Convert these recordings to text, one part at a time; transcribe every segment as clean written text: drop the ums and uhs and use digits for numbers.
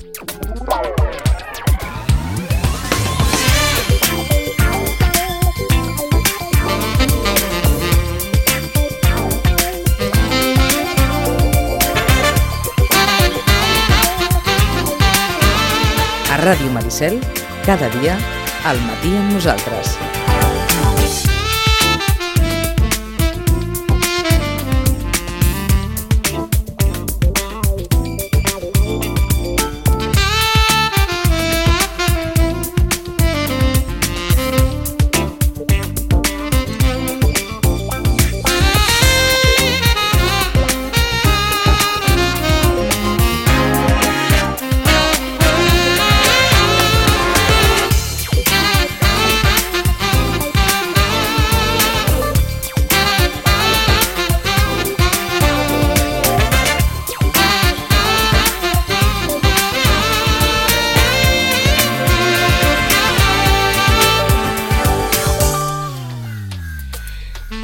A Ràdio Maricel, cada dia, al matí amb nosaltres.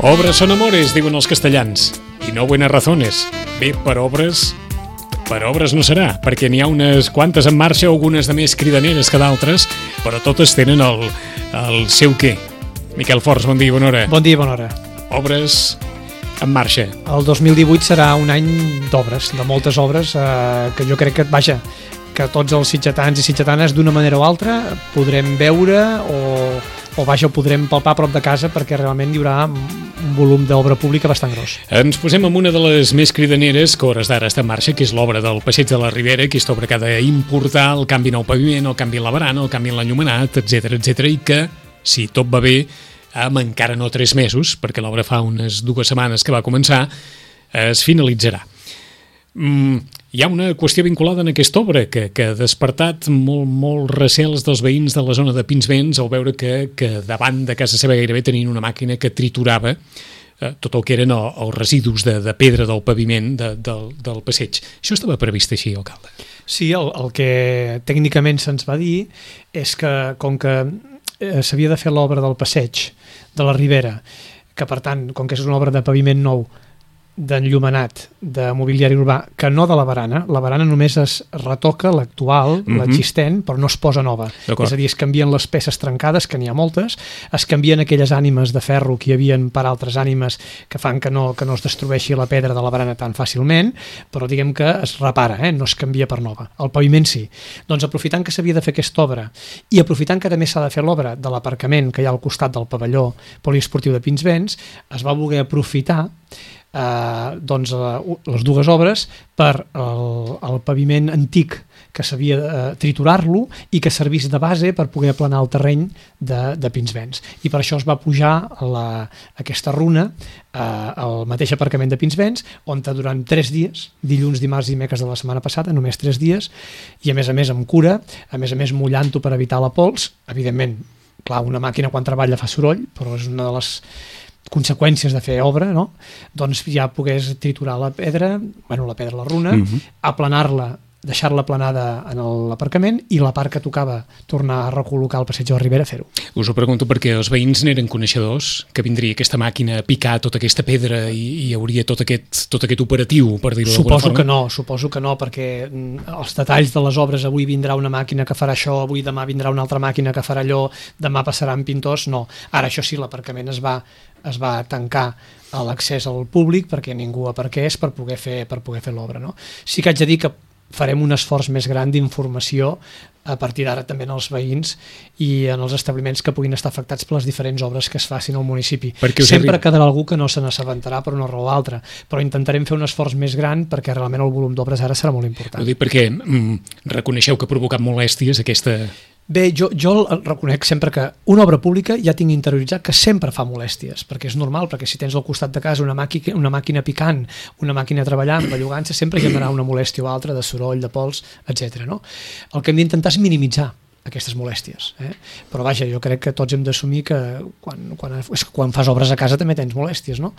Obres son amores, diuen els castellans, i no buenas razones. Bé, per obres no serà, perquè n'hi ha unes quantes en marxa, algunes de més cridaneres que d'altres, però totes tenen el seu què. Miquel Forns, bon dia, bona hora. Bon dia, bona hora. Obres en marxa. El 2018 serà un any d'obres, de moltes obres, que jo crec que tots els sitgetans i sitgetanes d'una manera o altra podrem veure o podrem palpar a prop de casa, perquè realment hi haurà un volum d'obra pública bastant gros. Ens posem amb una de les més cridaneres que a hores d'ara està en marxa, que és l'obra del Passeig de la Ribera, aquesta obra que ha d'importar el canvi en el paviment, el canvi en la barana, el canvi en l'enllumenat, etc, i que, si tot va bé, amb encara no 3 mesos, perquè l'obra fa unes 2 setmanes que va començar, es finalitzarà. Hi ha una qüestió vinculada en aquesta obra que ha despertat molt recels dels veïns de la zona de Pinsbens al veure que davant de casa seva gairebé tenien una màquina que triturava tot el que eren els residus de pedra del paviment del passeig. Això estava previst així, alcalde? Sí, el que tècnicament se'ns va dir és que, com que s'havia de fer l'obra del passeig de la Ribera, que per tant, com que és una obra de paviment nou, d'enllumenat, de mobiliari urbà, que no de la barana només es retoca l'actual, l'existent, però no es posa nova. És a dir, es canvien les peces trencades, que n'hi ha moltes, es canvien aquelles ànimes de ferro que hi havien per altres ànimes que fan que no es destrueixi la pedra de la barana tan fàcilment, però diguem que es repara, no es canvia per nova. El paviment sí. Doncs aprofitant que s'havia de fer aquesta obra i aprofitant que també s'ha de fer l'obra de l'aparcament que hi ha al costat del pavelló poliesportiu de Pinsbens, es va voler aprofitar les 2 obres per el paviment antic, que s'havia de triturar-lo i que servís de base per poder aplanar el terreny de Pinsbens. I per això es va pujar aquesta runa al mateix aparcament de Pinsbens, on durant 3 dies, dilluns, dimarts i dimecres de la setmana passada, només 3 dies, i a més amb cura, a més mullant-ho per evitar la pols. Evidentment, clar, una màquina quan treballa fa soroll, però és una de les conseqüències de fer obra, no? Doncs ja pogués triturar la pedra, la runa, aplanar-la, deixar-la aplanada en l'aparcament i la part que tocava tornar a recol·locar el passeig de la Ribera, fer-ho. Us ho pregunto perquè els veïns n'eren coneixedors, que vindria aquesta màquina a picar tota aquesta pedra i hi hauria tot aquest operatiu, per dir-ho d'alguna forma? Suposo que no, perquè els detalls de les obres, avui vindrà una màquina que farà això, avui demà vindrà una altra màquina que farà allò, demà passaran pintors, no. Ara, això sí, l'aparcament es va tancar a l'accés al públic perquè ningú aparqués per poder fer l'obra, no? Sí que haig de dir que farem un esforç més gran d'informació a partir d'ara també en els veïns i en els establiments que puguin estar afectats per les diferents obres que es facin al municipi. Sempre quedarà algú que no se n'assabentarà per una raó o altra, però intentarem fer un esforç més gran perquè realment el volum d'obres ara serà molt important. Ho dic perquè reconeixeu que ha provocat molèsties aquesta... Bé, jo reconec sempre que una obra pública ja tinc interioritzat que sempre fa molèsties, perquè és normal, perquè si tens al costat de casa una màquina picant, una màquina treballant, bellugant-se, sempre generarà una molèstia o altra de soroll, de pols, etc. No? El que hem d'intentar és minimitzar aquestes molèsties. Però vaja, jo crec que tots hem d'assumir que quan fas obres a casa també tens molèsties, no?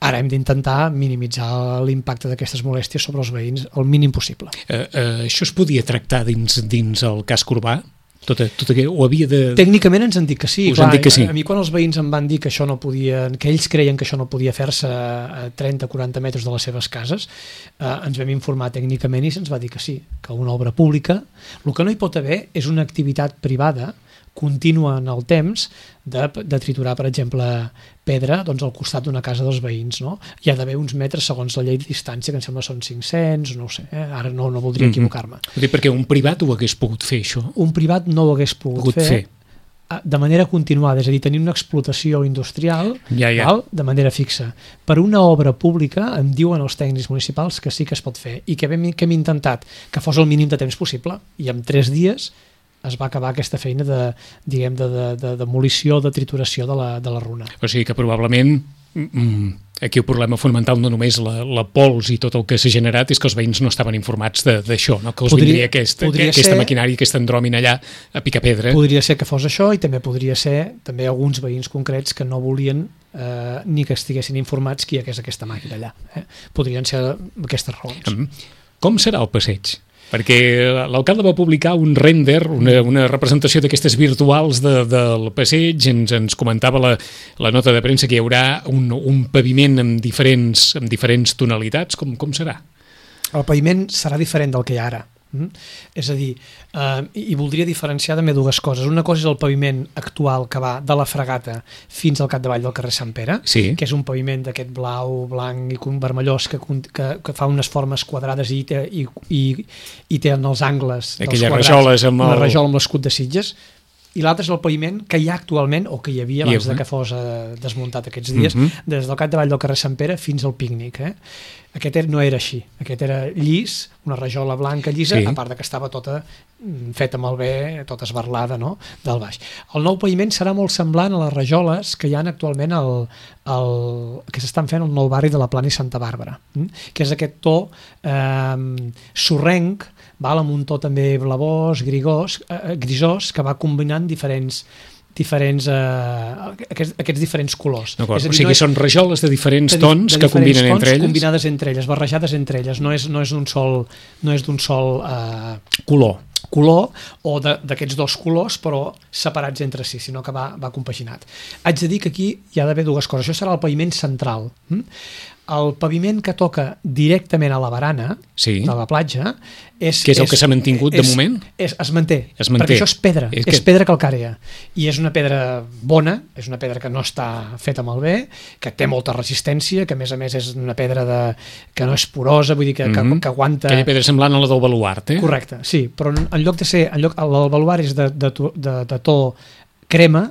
Ara hem d'intentar minimitzar l'impacte d'aquestes molèsties sobre els veïns el mínim possible. Això es podia tractar dins el casc urbà? Tot ho havia de... Tècnicament ens han dit que sí. Us han dit que sí. A mi quan els veïns em van dir que això no podia, que ells creien que això no podia fer-se a 30-40 metres de les seves cases, ens vam informar tècnicament i se'ns va dir que sí, que una obra pública, el que no hi pot haver és una activitat privada contínua en el temps de triturar, per exemple, pedra al costat d'una casa dels veïns, no? Hi ha d'haver uns metres segons la llei de distància, que em sembla són 500, no ho sé, ara no voldria equivocar-me. Perquè un privat ho hagués pogut fer, això? Un privat no ho hagués pogut fer de manera continuada, és a dir, tenir una explotació industrial val, de manera fixa. Per una obra pública em diuen els tècnics municipals que sí que es pot fer i que hem intentat que fos el mínim de temps possible i en 3 dies es va acabar aquesta feina de demolició, de trituració de la runa. O sigui que probablement aquí el problema fonamental no només la pols i tot el que s'ha generat és que els veïns no estaven informats d'això, no? Que els vindria aquesta maquinària, aquesta andròmina allà a picar pedra. Podria ser que fos això i també podria ser també alguns veïns concrets que no volien ni que estiguessin informats que hi hagués aquesta màquina allà. Podrien ser aquestes raons. Com serà el passeig? Perquè l'alcalde va publicar un render, una representació d'aquestes virtuals del passeig, ens comentava la nota de premsa que hi haurà un paviment amb diferents tonalitats. Com serà? El paviment serà diferent del que hi ha ara. És a dir, i voldria diferenciar també 2 coses. Una cosa és el paviment actual que va de la Fragata fins al capdavall del carrer Sant Pere, que és un paviment d'aquest blau, blanc i vermellós que fa unes formes quadrades i té en els angles dels quadrats una rajola amb l'escut de Sitges. I l'altre és el paviment que hi ha actualment, o que hi havia abans que fos desmuntat aquests dies, des del capdavall del carrer Sant Pere fins al Pícnic. Aquest no era així, aquest era llis, una rajola blanca llisa, a part que estava tota feta malbé, tota esbarlada, no?, del baix. El nou paviment serà molt semblant a les rajoles que hi ha actualment que s'estan fent al nou barri de la Plana i Santa Bàrbara, que és aquest to sorrenc, amb un to també blavós, grisós, que va combinant aquests diferents colors. O sigui, són rajoles de diferents tons que combinen entre elles? Combinades entre elles, barrejades entre elles, no és d'un sol color o d'aquests 2 colors però separats entre si, sinó que va compaginat. Haig de dir que aquí hi ha d'haver 2 coses. Això serà el paviment central. El paviment que toca directament a la barana de la platja que és el que s'ha mantingut de moment? Es manté, perquè això és pedra, és pedra calcària i és una pedra bona, és una pedra que no està feta malbé, que té molta resistència, que a més és una pedra que no és porosa, vull dir que aguanta... Aquella pedra semblant a la del baluart, Correcte, sí, però en lloc de ser... El baluart és de to crema,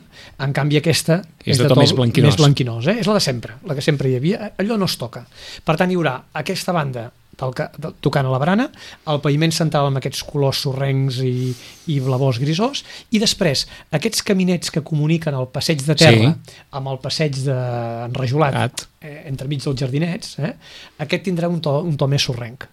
en canvi aquesta és de to més blanquinós. És la de sempre, la que sempre hi havia, allò no es toca. Per tant, hi haurà aquesta banda tocant a la barana, el paviment central amb aquests colors sorrencs i blavós grisós, i després aquests caminets que comuniquen el passeig de terra amb el passeig enrajolat entremig dels jardinets, aquest tindrà un to més sorrenc,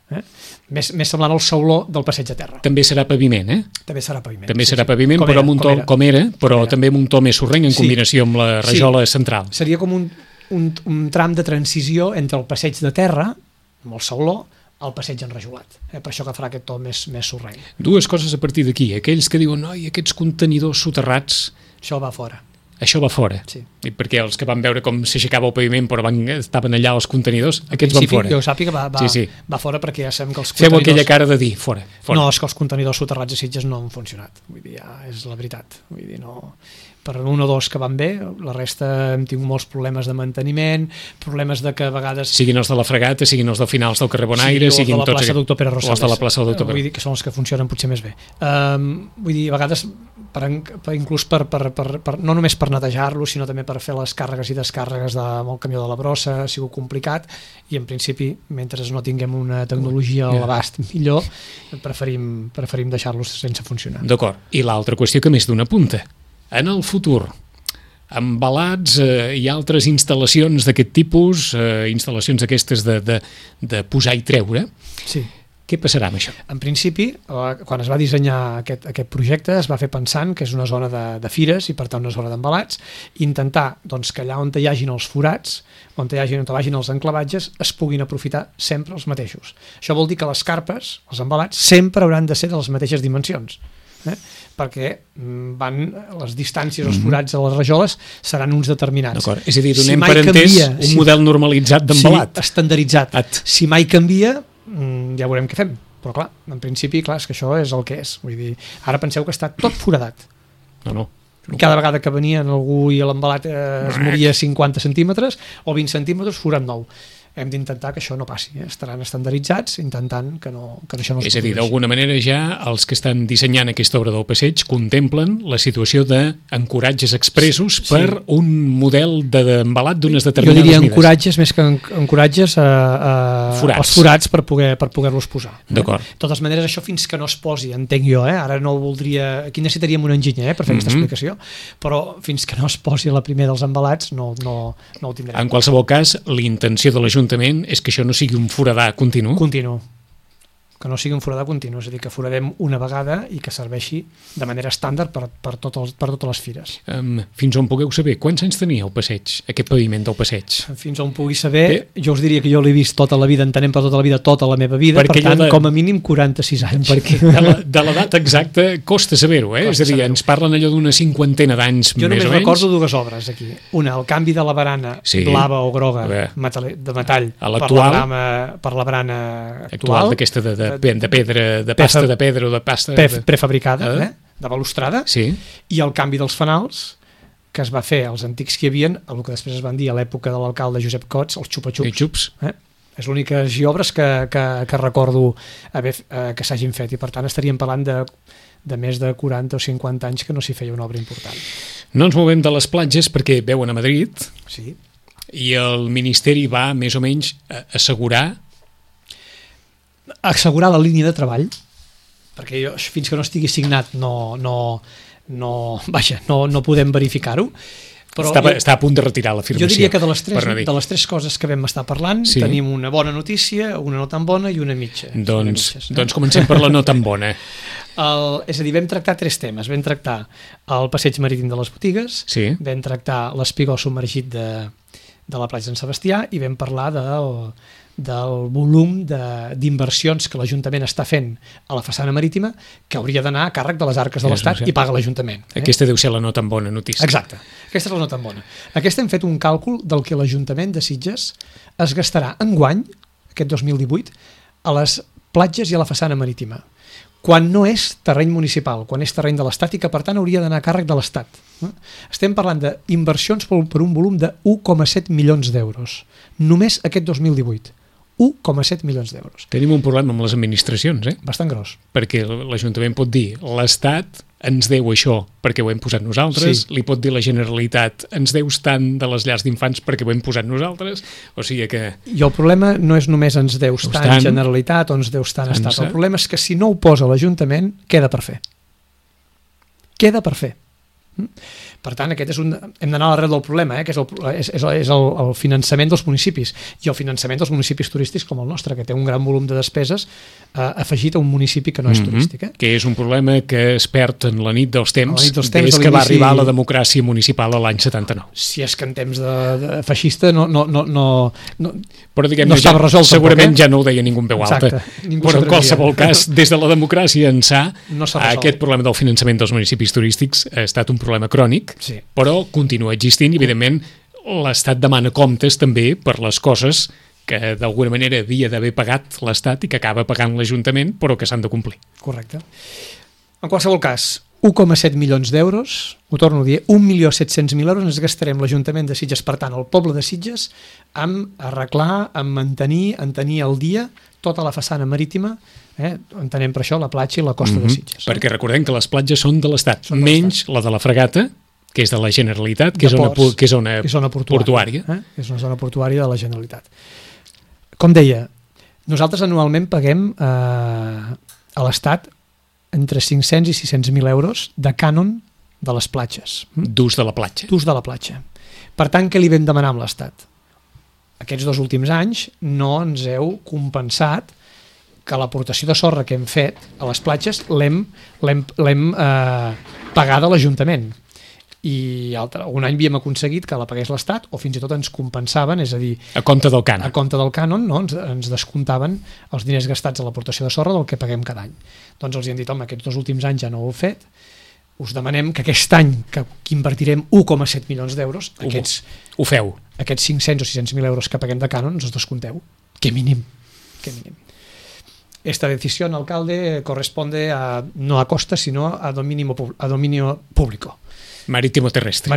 més semblant al sauló del passeig de terra. També serà paviment, També serà paviment. També serà paviment, però amb un to com era, però també amb un to més sorrenc en combinació amb la rajola central. Seria com un tram de transició entre el passeig de terra amb el sauló, al passeig enrajolat. Per això que farà aquest to més sorrenc. 2 coses a partir d'aquí. Aquells que diuen, aquests contenidors soterrats... Això va fora. Això va fora. Sí. I perquè els que van veure com s'aixecava el paviment però estaven allà els contenidors, aquests van fora. Jo sàpiga va fora perquè ja sabem que els contenidors... Feu aquella cara de dir, fora. No, és que els contenidors soterrats a Sitges no han funcionat. Vull dir, és la veritat. Vull dir, no... Per 1 o 2 que van bé, la resta hem tingut molts problemes de manteniment, problemes de que a vegades... Siguin els de la Fragata, siguin els dels finals del carrer Bonaire, siguin tots... O de la plaça Doctor Pere Rosales. O els de la plaça Doctor Pere. Vull dir que són els que funcionen potser més bé. Vull dir, a vegades, inclús no només per netejar-lo, sinó també per fer les càrregues i descàrregues amb el camió de la brossa, ha sigut complicat, i en principi, mentre no tinguem una tecnologia a l'abast millor, preferim deixar-los sense funcionar. D'acord. I l'altra qüestió que més d'una punta. En el futur, embalats i altres instal·lacions d'aquest tipus, instal·lacions aquestes de posar i treure, què passarà amb això? En principi, quan es va dissenyar aquest projecte, es va fer pensant que és una zona de fires i per tant una zona d'embalats, intentar que allà on hi hagin els forats, on vagin els enclavatges, es puguin aprofitar sempre els mateixos. Això vol dir que les carpes, els embalats, sempre hauran de ser de les mateixes dimensions. perquè les distàncies, els forats a les rajoles seran uns determinats. D'acord. És a dir, donem per entès un model normalitzat d'embalat. Sí, estandarditzat. Si mai canvia, ja veurem què fem. Però clar, en principi, és que això és el que és. Vull dir, ara penseu que està tot foradat. No. Cada vegada que venia algú i l'embalat es moria 50 centímetres o 20 centímetres, forat nou. Hem d'intentar que això no passi. Estaran estandarditzats intentant que això no es produeixi. És a dir, d'alguna manera ja els que estan dissenyant aquesta obra del passeig contemplen la situació d'encoratges expressos per un model d'embalat d'unes determinades mides. Jo diria encoratges més que encoratges els forats per poder-los posar. D'acord. De totes maneres, això fins que no es posi, entenc jo, ara no ho voldria... Aquí necessitaríem un enginyer per fer aquesta explicació, però fins que no es posi la primera dels embalats no ho tindrem. En qualsevol cas, l'intenció de l'Ajuntament és que això no sigui un foradar continu. Que no sigui un foradar continu, és a dir, que foradem una vegada i que serveixi de manera estàndard per totes les fires. Fins on pugueu saber, quants anys tenia el passeig, aquest paviment del passeig? Fins on pugui saber, jo us diria que jo l'he vist tota la vida, entenem per tota la vida, tota la meva vida, per tant, com a mínim 46 anys. Perquè de l'edat exacta costa saber-ho, és a dir, ens parlen allò d'una 50 d'anys més o menys. Jo només recordo dues obres aquí. Una, el canvi de la barana blava o groga de metall per la barana actual, d'aquesta de pedra, de pasta de pedra o de pasta... prefabricada, de balustrada, i el canvi dels fanals que es va fer als antics que hi havia, el que després es van dir a l'època de l'alcalde Josep Cots, els xupa-xups. És l'úniques obres que recordo que s'hagin fet, i per tant estaríem parlant de més de 40 o 50 anys que no s'hi feia una obra important. No ens movem de les platges perquè veuen a Madrid i el Ministeri va més o menys assegurar la línia de treball, perquè fins que no estigui signat no podem verificar-ho. Està a punt de retirar l'afirmació. Jo diria que de les tres coses que vam estar parlant tenim una bona notícia, una no tan bona i una mitja. Doncs comencem per la no tan bona. És a dir, vam tractar tres temes. Vam tractar el passeig marítim de les botigues, vam tractar l'espigó submergit de la platja de Sant Sebastià i vam parlar del volum d'inversions que l'Ajuntament està fent a la façana marítima que hauria d'anar a càrrec de les arques de l'Estat i paga l'Ajuntament. Aquesta deu ser la no tan bona notícia. Exacte, aquesta és la no tan bona. Aquesta hem fet un càlcul del que l'Ajuntament de Sitges es gastarà enguany, aquest 2018, a les platges i a la façana marítima, quan no és terreny municipal, quan és terreny de l'Estat i que per tant hauria d'anar a càrrec de l'Estat. Estem parlant d'inversions per un volum de 1,7 milions d'euros, només aquest 2018. 1,7 milions d'euros. Tenim un problema amb les administracions, Bastant gros. Perquè l'Ajuntament pot dir l'Estat ens deu això perquè ho hem posat nosaltres, li pot dir la Generalitat ens deus tant de les llars d'infants perquè ho hem posat nosaltres, o sigui que... I el problema no és només ens deus tant Generalitat o ens deus tant Estat, el problema és que si no ho posa l'Ajuntament, queda per fer. Queda per fer. Per tant, hem d'anar a l'arrel del problema, que és el finançament dels municipis, i el finançament dels municipis turístics com el nostre, que té un gran volum de despeses afegit a un municipi que no és turístic. Que és un problema que es perd en la nit dels temps des que va arribar la democràcia municipal a l'any 79. Si és que en temps de feixista no estava resolt. Segurament ja no ho deia ningú en veu alta. Però en qualsevol cas, des de la democràcia ençà, aquest problema del finançament dels municipis turístics ha estat un problema crònic, però continua existint i, evidentment, l'Estat demana comptes també per les coses que d'alguna manera havia d'haver pagat l'Estat i que acaba pagant l'Ajuntament, però que s'han de complir. Correcte. En qualsevol cas, 1,7 milions d'euros, ho torno a dir, 1.700.000 euros ens gastarem l'Ajuntament de Sitges, per tant, el poble de Sitges, amb arreglar, amb mantenir al dia tota la façana marítima, entenem per això la platja i la costa de Sitges. Perquè recordem que les platges són de l'Estat, menys la de la Fregata, que és de la Generalitat, que és zona portuària. És una zona portuària de la Generalitat. Com deia, nosaltres anualment paguem a l'Estat entre 500 i 600.000 euros de cànon de les platges. D'ús de la platja. D'ús de la platja. Per tant, què li vam demanar amb l'Estat? Aquests 2 últims anys no ens heu compensat que l'aportació de sorra que hem fet a les platges l'hem pagada a l'Ajuntament. i un any havíem aconseguit que la pagués l'Estat o fins i tot ens compensaven, és a dir, a compte del cànon. A compte del cànon, no? ens descomptaven els diners gastats a l'aportació de sorra del que paguem cada any. Doncs els hi han dit, home, aquests 2 últims anys ja no ho heu fet, us demanem que aquest any que invertirem 1,7 milions d'euros, ho feu. Aquests 500 o 600.000 euros que paguem de cànon ens els descompeu. Que mínim. Esta decisión, alcalde, corresponde no a costas, sino a dominio público. Marítimo terrestre,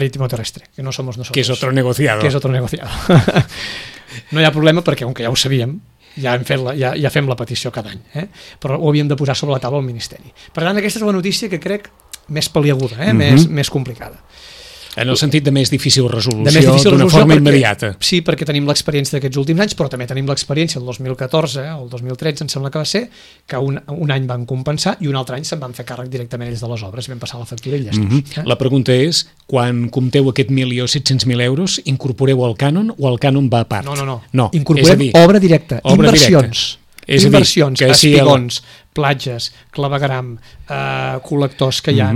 que no somos nosotros. Que es otro negociado. No hi ha problema perquè, com que ja ho sabíem, ja fem la petició cada any, però ho havíem de posar sobre la taula al Ministeri. Per tant, aquesta és la notícia que crec més pal·liaguda, més complicada. En el sentit de més difícil resolució d'una forma immediata. Sí, perquè tenim l'experiència d'aquests últims anys, però també tenim l'experiència del 2014 o el 2013, em sembla que va ser, que un any van compensar i un altre any se'n van fer càrrec directament ells de les obres, vam passar la factura i ja està. La pregunta és, quan compteu aquest 1.700.000 euros, incorporeu el cànon o el cànon va a part? No. Incorporem obra directa, inversions. Inversions, espigons, platges, clavegram, col·lectors que hi ha,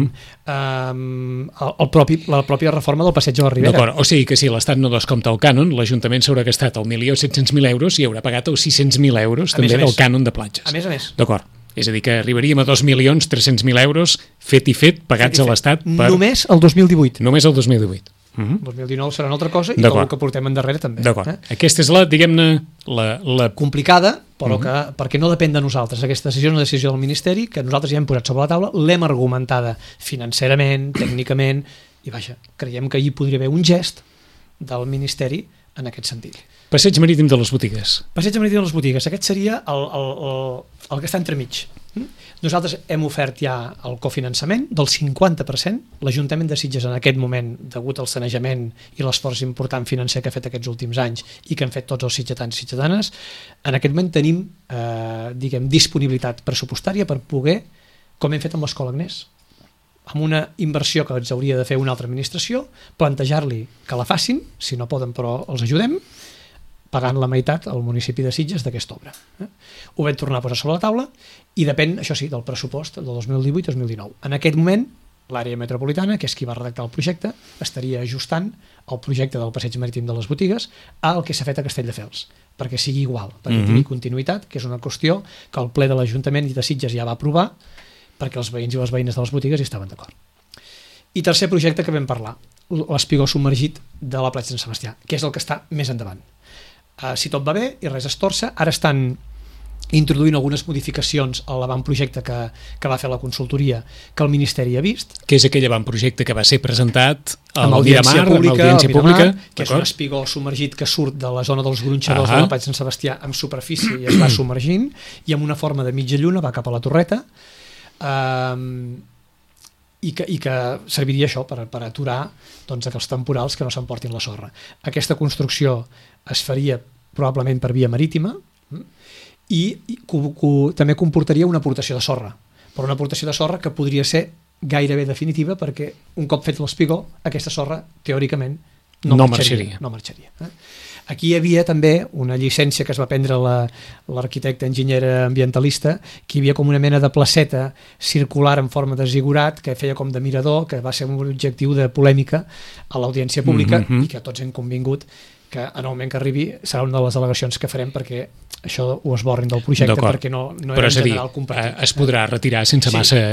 la pròpia reforma del passeig de la Ribera. D'acord, o sigui que si l'Estat no descompta el cànon, l'Ajuntament s'haurà gastat el 1.700.000 euros i haurà pagat els 600.000 euros també del cànon de platges. A més. D'acord, és a dir que arribaríem a 2.300.000 euros fet i fet, pagats a l'Estat per... Només el 2018. Només el 2018. El 2019 serà una altra cosa i tot el que portem endarrere també. D'acord. Aquesta és la, diguem-ne, la complicada, però perquè no depèn de nosaltres. Aquesta decisió és una decisió del Ministeri que nosaltres ja hem posat sobre la taula, l'hem argumentada financerament, tècnicament, i vaja, creiem que hi podria haver un gest del Ministeri en aquest sentit. Passeig marítim de les botigues. Passeig marítim de les botigues. Aquest seria el que està entremig. Nosaltres hem ofert ja el cofinançament del 50%. L'Ajuntament de Sitges en aquest moment, degut al sanejament i l'esforç important financer que ha fet aquests últims anys i que han fet tots els sitgetans i sitgetanes, en aquest moment tenim disponibilitat pressupostària per poder, com hem fet amb l'Escola Agnès, amb una inversió que ens hauria de fer una altra administració, plantejar-li que la facin, si no poden però els ajudem, pagant la meitat al municipi de Sitges d'aquesta obra. Ho vam tornar a posar sobre la taula i depèn, això sí, del pressupost del 2018-2019. En aquest moment, l'àrea metropolitana, que és qui va redactar el projecte, estaria ajustant el projecte del passeig marítim de les botigues al que s'ha fet a Castelldefels, perquè sigui igual, perquè tingui continuïtat, que és una qüestió que el ple de l'Ajuntament i de Sitges ja va aprovar, perquè els veïns i les veïnes de les botigues hi estaven d'acord. I tercer projecte que vam parlar, l'espigó submergit de la platja de Sant Sebastià, que és el que està més endavant. Si tot va bé i res es torça, ara estan introduint algunes modificacions a l'avantprojecte que va fer la consultoria que el Ministeri ha vist. Que és aquell avantprojecte que va ser presentat amb audiència pública, que és un espigó submergit que surt de la zona dels gronxadors de la platja de Sant Sebastià amb superfície i es va submergint i amb una forma de mitja lluna va cap a la torreta i que serviria això per aturar els temporals que no s'emportin la sorra. Aquesta construcció es faria probablement per via marítima i també comportaria una aportació de sorra, però una aportació de sorra que podria ser gairebé definitiva perquè un cop fet l'espigó aquesta sorra teòricament no marxaria. Aquí hi havia també una llicència que es va prendre l'arquitecte enginyera ambientalista, que hi havia com una mena de placeta circular en forma de zigurat que feia com de mirador, que va ser un objectiu de polèmica a l'audiència pública i que tots hem convingut que en el moment que arribi serà una de les al·legacions que farem perquè això ho esborrin del projecte perquè no era en general compartit. Es podrà retirar sense massa...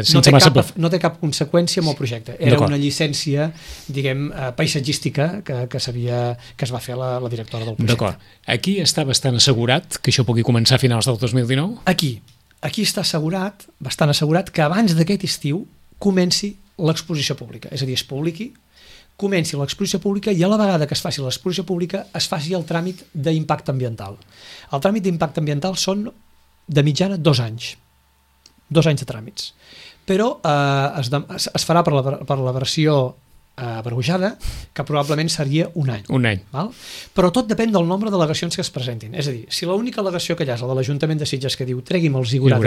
No té cap conseqüència amb el projecte. Era una llicència, diguem, paisatgística que es va fer la directora del projecte. D'acord. Aquí està bastant assegurat que això pugui començar a finals del 2019? Aquí està bastant assegurat que abans d'aquest estiu comenci l'exposició pública, és a dir, es publiqui, comenci l'exposició pública i a la vegada que es faci l'exposició pública es faci el tràmit d'impacte ambiental. El tràmit d'impacte ambiental són de mitjana 2 anys. 2 anys de tràmits. Però es farà per la versió abreujada, que probablement seria un any. Val? Però tot depèn del nombre d'al·legacions que es presentin. És a dir, si l'única al·legació que hi ha és la de l'Ajuntament de Sitges que diu tregui'm el zigurat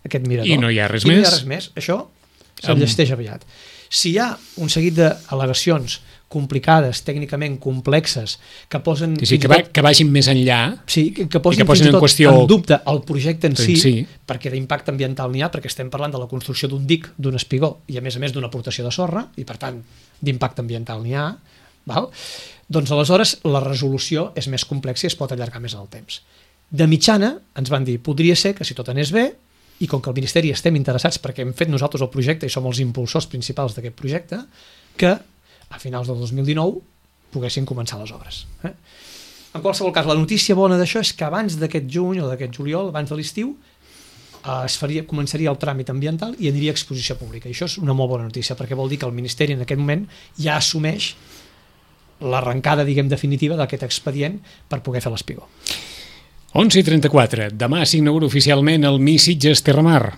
aquest mirador, i no hi ha res més, això s'enllesteix aviat. Si hi ha un seguit d'al·legacions complicades, tècnicament complexes, que posen... Sí, que vagin més enllà, sí, que posin fins i tot en dubte el projecte en si, sí, perquè d'impacte ambiental n'hi ha, perquè estem parlant de la construcció d'un dic, d'un espigó, i a més d'una aportació de sorra, i per tant d'impacte ambiental n'hi ha, val? Doncs aleshores la resolució és més complexa i es pot allargar més en el temps. De mitjana ens van dir, podria ser que si tot anés bé, i com que el Ministeri estem interessats perquè hem fet nosaltres el projecte i som els impulsors principals d'aquest projecte, que a finals del 2019 poguessin començar les obres. En qualsevol cas, la notícia bona d'això és que abans d'aquest juny o d'aquest juliol, abans de l'estiu, començaria el tràmit ambiental i aniria a exposició pública. I això és una molt bona notícia, perquè vol dir que el Ministeri en aquest moment ja assumeix l'arrencada, diguem, definitiva d'aquest expedient per poder fer l'espigó. 11:34. Demà s'inaugura oficialment el Mi Sitges Terramar.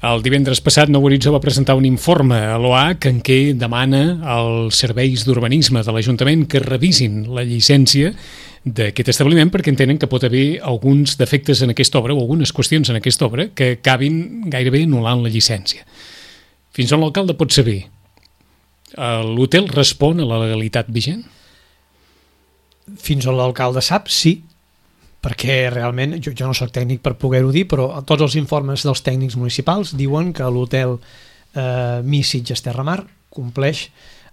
El divendres passat Nou Horitzó va presentar un informe a l'OAC en què demana als serveis d'urbanisme de l'Ajuntament que revisin la llicència d'aquest establiment perquè entenen que pot haver alguns defectes en aquesta obra o algunes qüestions en aquesta obra que acabin gairebé anul·lant la llicència. Fins on l'alcalde pot saber? L'hotel respon a la legalitat vigent? Fins on l'alcalde sap, sí, perquè realment, jo no soc tècnic per poder-ho dir, però tots els informes dels tècnics municipals diuen que l'hotel Mi Sitges Terramar compleix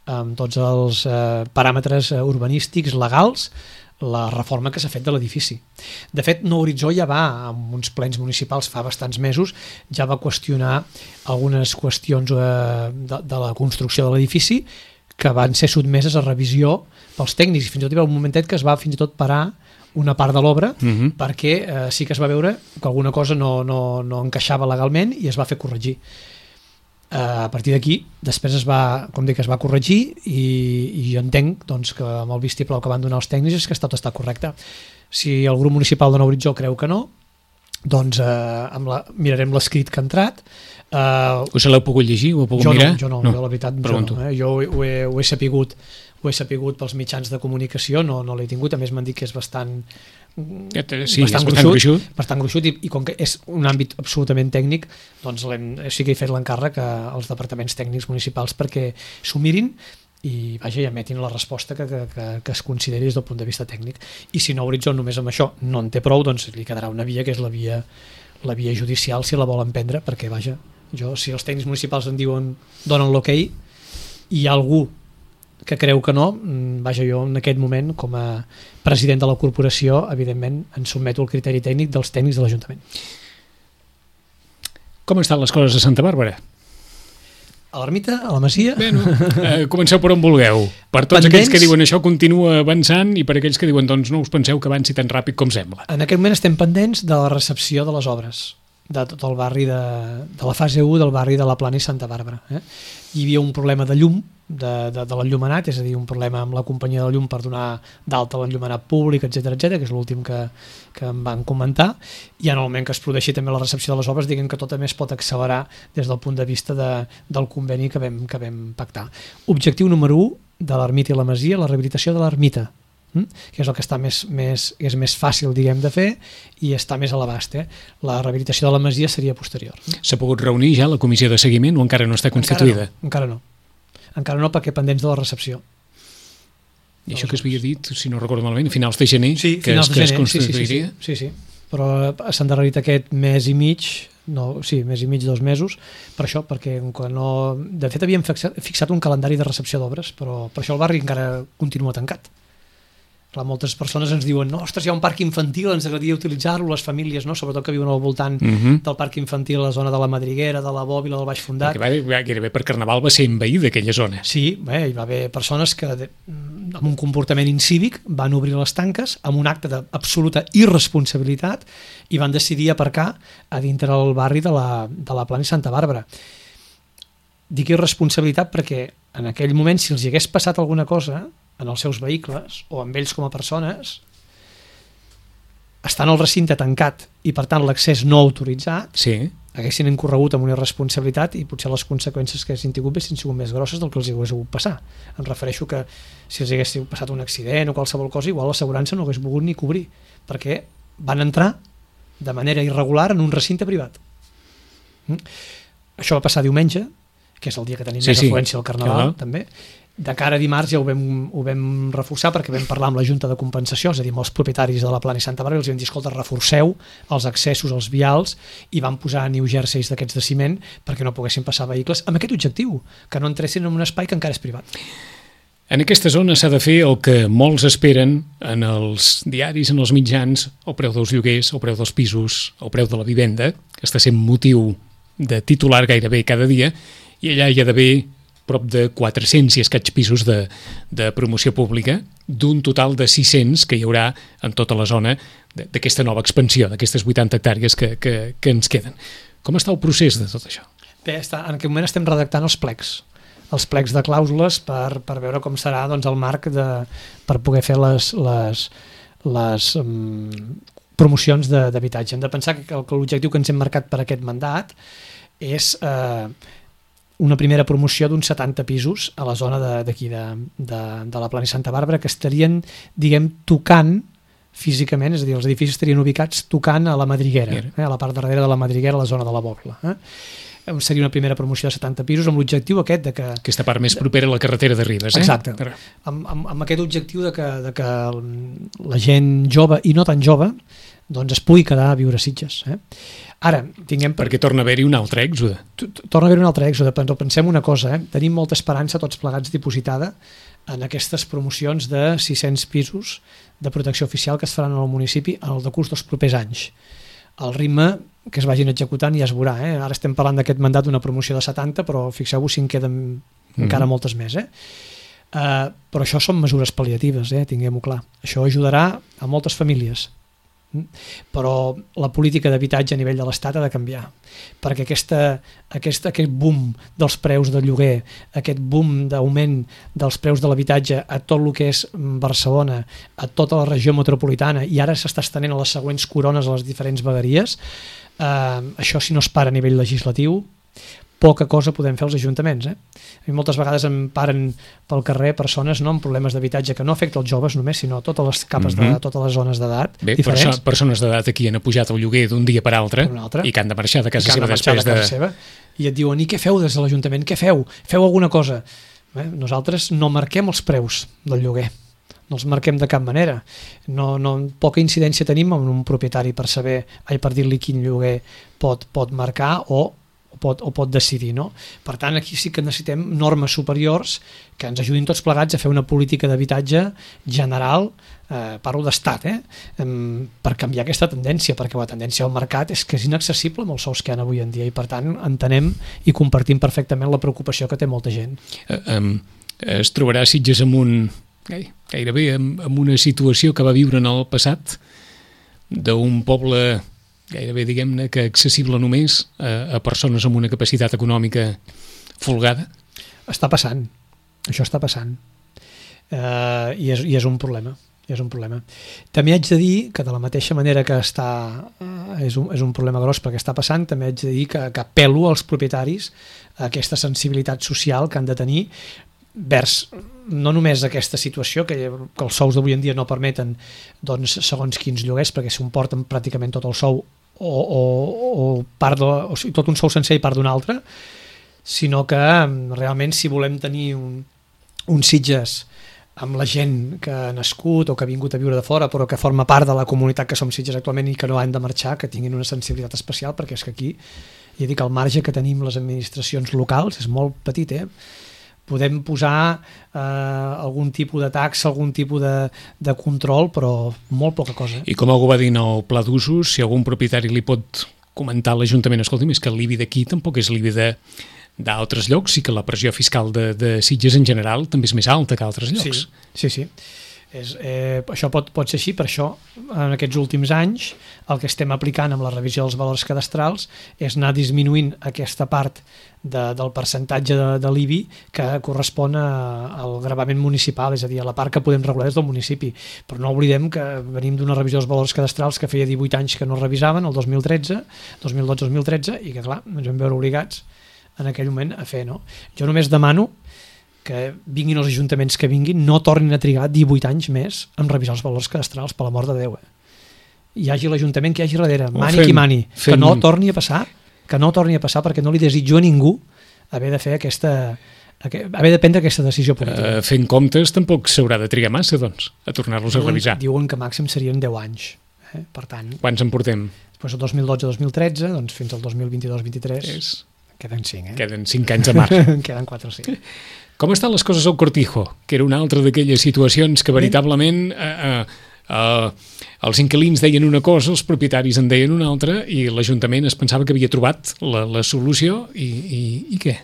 amb tots els paràmetres urbanístics legals la reforma que s'ha fet de l'edifici. De fet, Nou Horitzó ja va, amb uns plens municipals fa bastants mesos, ja va qüestionar algunes qüestions de la construcció de l'edifici que van ser sotmeses a revisió pels tècnics, i fins i tot hi va un momentet que es va fins i tot parar una part de l'obra perquè sí que es va veure que alguna cosa no encaixava legalment i es va fer corregir. A partir d'aquí, després es va corregir i jo entenc doncs, que amb el vistiplau que van donar els tècnics és que tot està correcte. Si el grup municipal de Nou Horitzó creu que no, doncs mirarem l'escrit que ha entrat. Us l'heu pogut llegir? Ho heu pogut mirar? Jo la veritat, jo ho he sapigut pels mitjans de comunicació, no l'he tingut, a més m'han dit que és bastant gruixut i com que és un àmbit absolutament tècnic, doncs sí que he fet l'encàrrec als departaments tècnics municipals perquè s'ho mirin i emetin la resposta que es consideri des del punt de vista tècnic. I si Nou Horitzó només amb això no en té prou, doncs li quedarà una via, que és la via judicial, si la volen prendre, perquè si els tècnics municipals en donen l'ok, i hi ha algú que creu que no, jo en aquest moment, com a president de la corporació, evidentment ens sotmeto al criteri tècnic dels tècnics de l'Ajuntament. Com estan les coses a Santa Bàrbara? A l'ermita, a la masia... Comenceu per on vulgueu. Per tots aquells que diuen això continua avançant i per aquells que diuen doncs no us penseu que avanci tan ràpid com sembla. En aquest moment estem pendents de la recepció de les obres de tot el barri de la fase 1 del barri de la Plana i Santa Bàrbara. Hi havia un problema de llum, de l'enllumenat, és a dir, un problema amb la companyia de llum per donar d'alta l'enllumenat públic, etc, que és l'últim que em van comentar, i en el moment que es produeixi també la recepció de les obres, diguem que tot a més pot accelerar des del punt de vista del conveni que vam pactar. Objectiu número 1 de l'ermita i la masia, la rehabilitació de l'ermita, que és el que està és més fàcil, diguem, de fer i està més a l'abast. La rehabilitació de la masia seria posterior. S'ha pogut reunir ja la comissió de seguiment o encara no està constituïda? Encara no, perquè pendents de la recepció. I això que es havia dit, si no recordo malament, a finals de gener, que es constituiria? Sí, però s'ha endarrerit aquest mes i mig, mes i mig, 2 mesos, per això, perquè de fet havíem fixat un calendari de recepció d'obres, però per això el barri encara continua tancat. Clar, moltes persones ens diuen, no, ostres, hi ha un parc infantil, ens agradaria utilitzar-lo, les famílies, no? Sobretot que viuen al voltant del parc infantil, a la zona de la Madriguera, de la Bòbila, del Baix Fundat. Perquè gairebé per Carnaval va ser envaïda aquella zona. Sí, hi va haver persones que amb un comportament incívic van obrir les tanques amb un acte d'absoluta irresponsabilitat i van decidir aparcar a dintre del barri de la Plana i Santa Bàrbara. Dic irresponsabilitat perquè en aquell moment, si els hi hagués passat alguna cosa en els seus vehicles o amb ells com a persones, estan al recinte tancat i per tant l'accés no autoritzat, haguessin incorregut amb una irresponsabilitat i potser les conseqüències que haguessin tingut haguessin sigut més grosses del que els hagués hagut passar. Em refereixo que si els hagués passat un accident o qualsevol cosa, igual l'assegurança no hagués volgut ni cobrir, perquè van entrar de manera irregular en un recinte privat. Això va passar diumenge. que és el dia que tenim més afluència al Carnaval, també. De cara a dimarts ja ho vam reforçar perquè vam parlar amb la Junta de Compensació, és a dir, amb els propietaris de la Plana i Santa Bàrbara, i els vam dir, escolta, reforceu els accessos als vials i van posar new jerseys d'aquests de ciment perquè no poguessin passar vehicles amb aquest objectiu, que no entressin en un espai que encara és privat. En aquesta zona s'ha de fer el que molts esperen en els diaris, en els mitjans, el preu dels lloguers, el preu dels pisos, el preu de la vivenda, que està sent motiu de titular gairebé cada dia, i allà hi ha d'haver prop de 400 i escaig pisos de promoció pública, d'un total de 600 que hi haurà en tota la zona d'aquesta nova expansió, d'aquestes 80 hectàrees que ens queden. Com està el procés de tot això? Bé, en aquest moment estem redactant els plecs de clàusules per veure com serà doncs, el marc per poder fer les promocions d'habitatge. Hem de pensar que l'objectiu que ens hem marcat per aquest mandat és una primera promoció d'uns 70 pisos a la zona d'aquí de la Plana i Santa Bàrbara que estarien, diguem, tocant físicament, és a dir, els edificis estarien ubicats tocant a la Madriguera, a la part darrere de la Madriguera, a la zona de la Bòbila. Seria una primera promoció de 70 pisos amb l'objectiu aquest de que... Aquesta part més propera a la carretera de Ribes, Exacte. Amb aquest objectiu de que la gent jove i no tan jove doncs es pugui quedar a viure a Sitges. Ara, perquè torna a haver-hi un altre èxode. Torna a haver-hi un altre èxode, però pensem una cosa, tenim molta esperança tots plegats dipositada en aquestes promocions de 600 pisos de protecció oficial que es faran al municipi en el decurs dels propers anys. El ritme que es vagin executant ja es veurà. Ara estem parlant d'aquest mandat d'una promoció de 70, però fixeu-vos si en queden encara moltes més. Però això són mesures pal·liatives, tinguem-ho clar. Això ajudarà a moltes famílies. Però la política d'habitatge a nivell de l'Estat ha de canviar, perquè aquest boom dels preus del lloguer, aquest boom d'augment dels preus de l'habitatge a tot el que és Barcelona, a tota la regió metropolitana, i ara s'està estenent a les següents corones a les diferents vegueries, això si no es para a nivell legislatiu, poca cosa podem fer als ajuntaments. A mi moltes vegades em paren pel carrer persones amb problemes d'habitatge que no afecta els joves només, sinó totes les capes de totes les zones d'edat diferents. Persones d'edat aquí han pujat el lloguer d'un dia per altre i que han de marxar de casa seva després de... I et diuen, i què feu des de l'Ajuntament? Què feu? Feu alguna cosa? Nosaltres no marquem els preus del lloguer, no els marquem de cap manera. Poca incidència tenim en un propietari per dir-li quin lloguer pot marcar o pot decidir, no? Per tant, aquí sí que necessitem normes superiors que ens ajudin tots plegats a fer una política d'habitatge general, parlo d'estat, per canviar aquesta tendència, perquè la tendència al mercat és que és inaccessible amb els sous que hi ha avui en dia, i per tant entenem i compartim perfectament la preocupació que té molta gent. Es trobarà Sitges gairebé en una situació que va viure en el passat d'un poble gairebé, diguem-ne, que accessible només a persones amb una capacitat econòmica folgada? Està passant, això està passant, i és un problema. També haig de dir que de la mateixa manera que és un problema gros perquè està passant, també haig de dir que apel·lo als propietaris a aquesta sensibilitat social que han de tenir vers no només aquesta situació que els sous d'avui en dia no permeten doncs, segons quins lloguers, perquè s'ho porten pràcticament tot el sou o tot un sou sencer i part d'un altre, sinó que realment si volem tenir un Sitges amb la gent que ha nascut o que ha vingut a viure de fora però que forma part de la comunitat que som Sitges actualment i que no han de marxar, que tinguin una sensibilitat especial, perquè és que aquí ja dic, el marge que tenim les administracions locals és molt petit, podem posar algun tipus de taxa, algun tipus de control, però molt poca cosa. I com algú va dir en el pla d'usos, si algun propietari li pot comentar a l'Ajuntament, escolti'm, és que l'IBI d'aquí tampoc és l'IBI d'altres llocs i que la pressió fiscal de Sitges en general també és més alta que altres llocs. Sí. Això pot ser així, per això en aquests últims anys el que estem aplicant amb la revisió dels valors cadastrals és anar disminuint aquesta part del percentatge de l'IBI que correspon al gravament municipal, és a dir, a la part que podem regular des del municipi. Però no oblidem que venim d'una revisió dels valors cadastrals que feia 18 anys que no revisaven, el 2012-2013, i que clar, ens vam veure obligats en aquell moment a fer, no? Jo només demano que vinguin els ajuntaments que vinguin, no tornin a trigar 18 anys més en revisar els valors cadastrals, per l'amor de Déu. Hi hagi l'Ajuntament que hi hagi darrere, mani qui mani, que no torni a passar perquè no li desitjo a ningú haver de prendre aquesta decisió política. Fent comptes tampoc s'haurà de trigar massa, doncs, a tornar-los a revisar. Diuen que màxim serien 10 anys. Per tant, quants en portem? Després del 2012-2013, doncs fins al 2022-23 queden 5. Queden 5 anys a mar. Queden 4 o 5. Com estan les coses al Cortijo? Que era una altra d'aquelles situacions que veritablement els inquilins deien una cosa, els propietaris en deien una altra i l'Ajuntament es pensava que havia trobat la solució i què?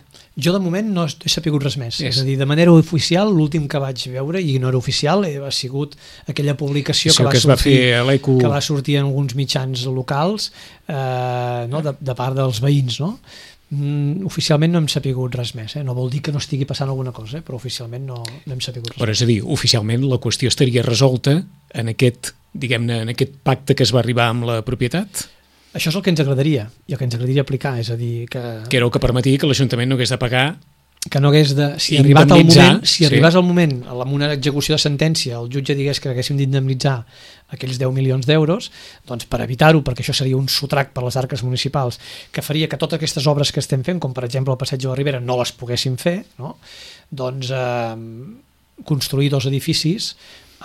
Jo de moment no he sapigut res més. És a dir, de manera oficial, l'últim que vaig veure, i no era oficial, ha sigut aquella publicació que va sortir en alguns mitjans locals de part dels veïns, no? Oficialment no hem sapigut res més, no vol dir que no estigui passant alguna cosa, però oficialment no hem sapigut res. Però és a dir, oficialment la qüestió estaria resolta en aquest, diguem-ne, en aquest pacte que es va arribar amb la propietat? Això és el que ens agradaria, i el que ens agradaria aplicar, és a dir que era el que permetia que l'Ajuntament no hagués de pagar, que no hagués de... Si arribés al moment, amb una execució de sentència, el jutge digués que haguéssim d'indemnitzar aquells 10 milions d'euros, doncs per evitar-ho, perquè això seria un sotrac per les arques municipals, que faria que totes aquestes obres que estem fent, com per exemple el Passeig de la Ribera, no les poguéssim fer, no? Doncs construir 2 edificis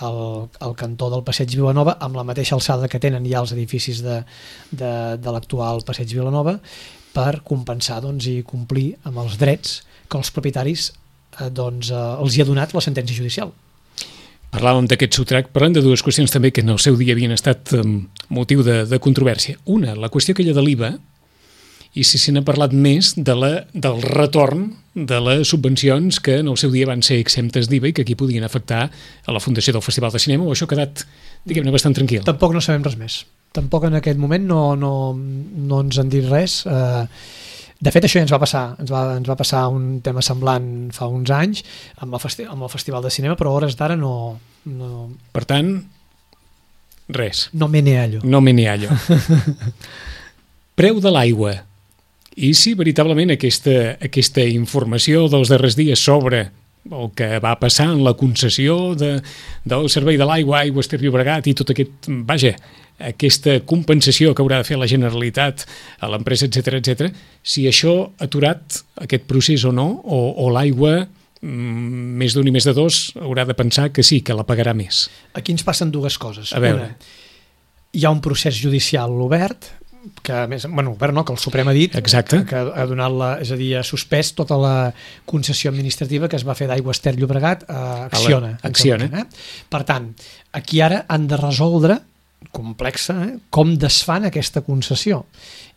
al cantó del Passeig Vilanova amb la mateixa alçada que tenen ja els edificis de l'actual Passeig Vilanova, per compensar i complir amb els drets que els propietaris els hi ha donat la sentència judicial. Parlàvem d'aquest sotrac, parlant de 2 qüestions també que en el seu dia havien estat motiu de controvèrsia. Una, la qüestió aquella de l'IVA, i si se n'ha parlat més del retorn de les subvencions que en el seu dia van ser exemptes d'IVA i que aquí podien afectar a la fundació del Festival de Cinema, o això ha quedat, diguem-ne, bastant tranquil. Tampoc no sabem res més. Tampoc en aquest moment no ens han dit res. De fet, això ja ens va passar. Ens va passar un tema semblant fa uns anys amb el Festival de Cinema, però a hores d'ara no... Per tant, res. No me ne hallo. No me ne hallo. Preu de l'aigua. I si veritablement aquesta informació dels darrers dies sobre el que va passar en la concessió del servei de l'aigua, Aigües Ter Llobregat i tot aquest, aquesta compensació que haurà de fer la Generalitat a l'empresa, etc, si això ha aturat aquest procés o no, o l'aigua, més d'un i més de dos, haurà de pensar que sí, que la pagarà més. Aquí ens passen 2 coses. A veure. Hi ha un procés judicial obert, que el Suprem ha dit. Exacte. Que ha donat és a dir, ha suspès tota la concessió administrativa que es va fer d'Aigües Ter Llobregat a Acciona. Per tant, aquí ara han de resoldre, complexa, com desfan aquesta concessió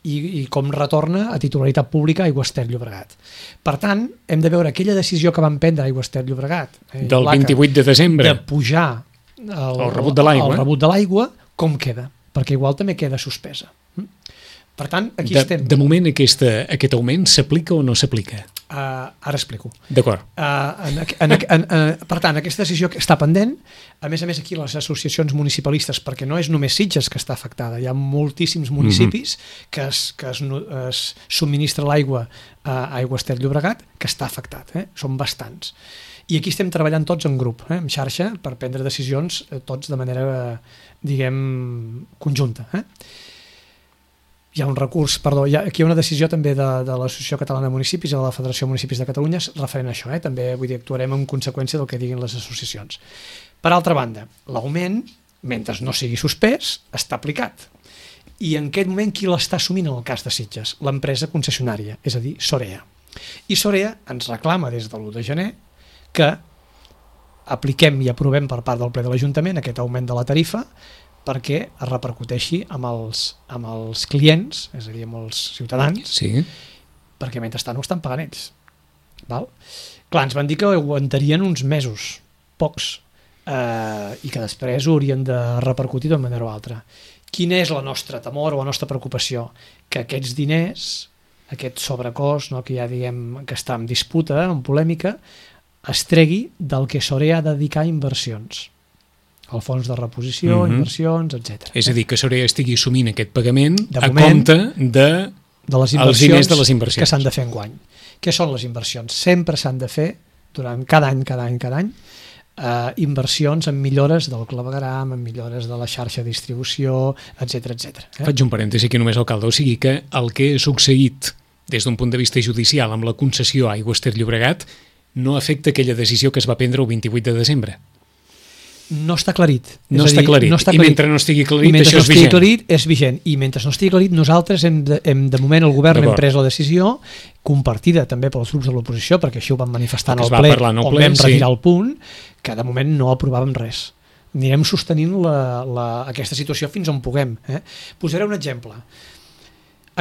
i com retorna a titularitat pública Aigües Ter Llobregat. Per tant, hem de veure aquella decisió que van prendre Aigües Ter Llobregat del 28 de desembre de pujar el rebut de l'aigua, com queda? Perquè igual també queda suspesa. Per tant, aquí estem. De moment aquest augment s'aplica o no s'aplica? Ara explico. D'acord. Per tant, aquesta decisió està pendent. A més aquí les associacions municipalistes, perquè no és només Sitges que està afectada, hi ha moltíssims municipis que es subministra l'aigua a Aigües Ter Llobregat que està afectat, són bastants. I aquí estem treballant tots en grup, en xarxa, per prendre decisions tots de manera, diguem, conjunta. Hi ha un recurs, aquí hi ha una decisió també de l'Associació Catalana de Municipis i de la Federació de Municipis de Catalunya referent a això, també vull dir, actuarem en conseqüència del que diguin les associacions. Per altra banda, l'augment, mentre no sigui suspès, està aplicat. I en aquest moment qui l'està assumint en el cas de Sitges? L'empresa concessionària, és a dir, Sorea. I Sorea ens reclama des de l'1 de gener que apliquem i aprovem per part del ple de l'Ajuntament aquest augment de la tarifa perquè es repercuteixi amb els clients, és a dir, amb els ciutadans, sí. Perquè mentrestant ho estan pagant ells. Val? Clar, ens van dir que ho aguantarien uns mesos, pocs, i que després ho haurien de repercutir d'una manera o altra. Quina és la nostra temor o la nostra preocupació? Que aquests diners, aquest sobrecost, que ja diguem que està en disputa, en polèmica, es tregui del que Sorea ha de dedicar a inversions. El fons de reposició, inversions, etc. És a dir, que Sorea estigui assumint aquest pagament a compte els diners de les inversions que s'han de fer enguany. Què són les inversions? Sempre s'han de fer, durant cada any, inversions en millores del clavegueram, en millores de la xarxa de distribució, etc. Faig un parèntesi aquí només, alcalde, o sigui que el que ha succeït des d'un punt de vista judicial, amb la concessió a Aigües Ter Llobregat, no afecta aquella decisió que es va prendre el 28 de desembre. No està aclarit. No està aclarit. I mentre no estigui aclarit, això és vigent. I mentre no estigui aclarit, és vigent. I mentre no estigui aclarit, nosaltres de moment el govern hem pres la decisió, compartida també pels grups de l'oposició, perquè així ho vam manifestar en el ple, on vam retirar el punt, que de moment no aprovàvem res. Anirem sostenint aquesta situació fins on puguem. Posaré un exemple.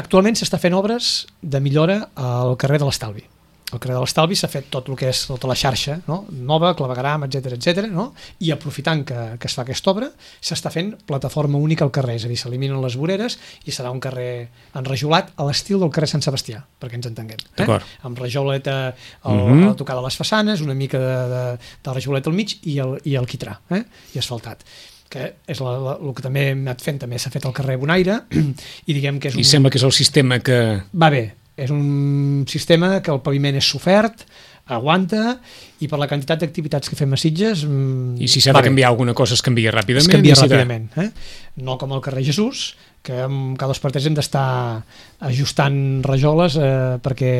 Actualment s'està fent obres de millora al carrer de l'Estalvi. Al carrer de l'Estalvi s'ha fet tot el que és tota la xarxa, no? Nova, clavegueram, etc, no? I aprofitant que es fa aquesta obra, s'està fent plataforma única al carrer, és a dir, s'eliminen les voreres i serà un carrer enrajolat a l'estil del carrer Sant Sebastià, perquè ens entenguem. Amb rajoleta a tocar de les façanes, una mica de rajoleta al mig i el quitrà, i asfaltat, que és el que també hem anat fent, també s'ha fet al carrer Bonaire, i diguem que és I sembla que és el sistema que... Va bé. És un sistema que el paviment és sofert, aguanta, i per la quantitat d'activitats que fem a Sitges... I si s'ha de canviar alguna cosa es canvia ràpidament. Es canvia ràpidament. No com al carrer Jesús, que cada 2 per 3 hem d'estar ajustant rajoles perquè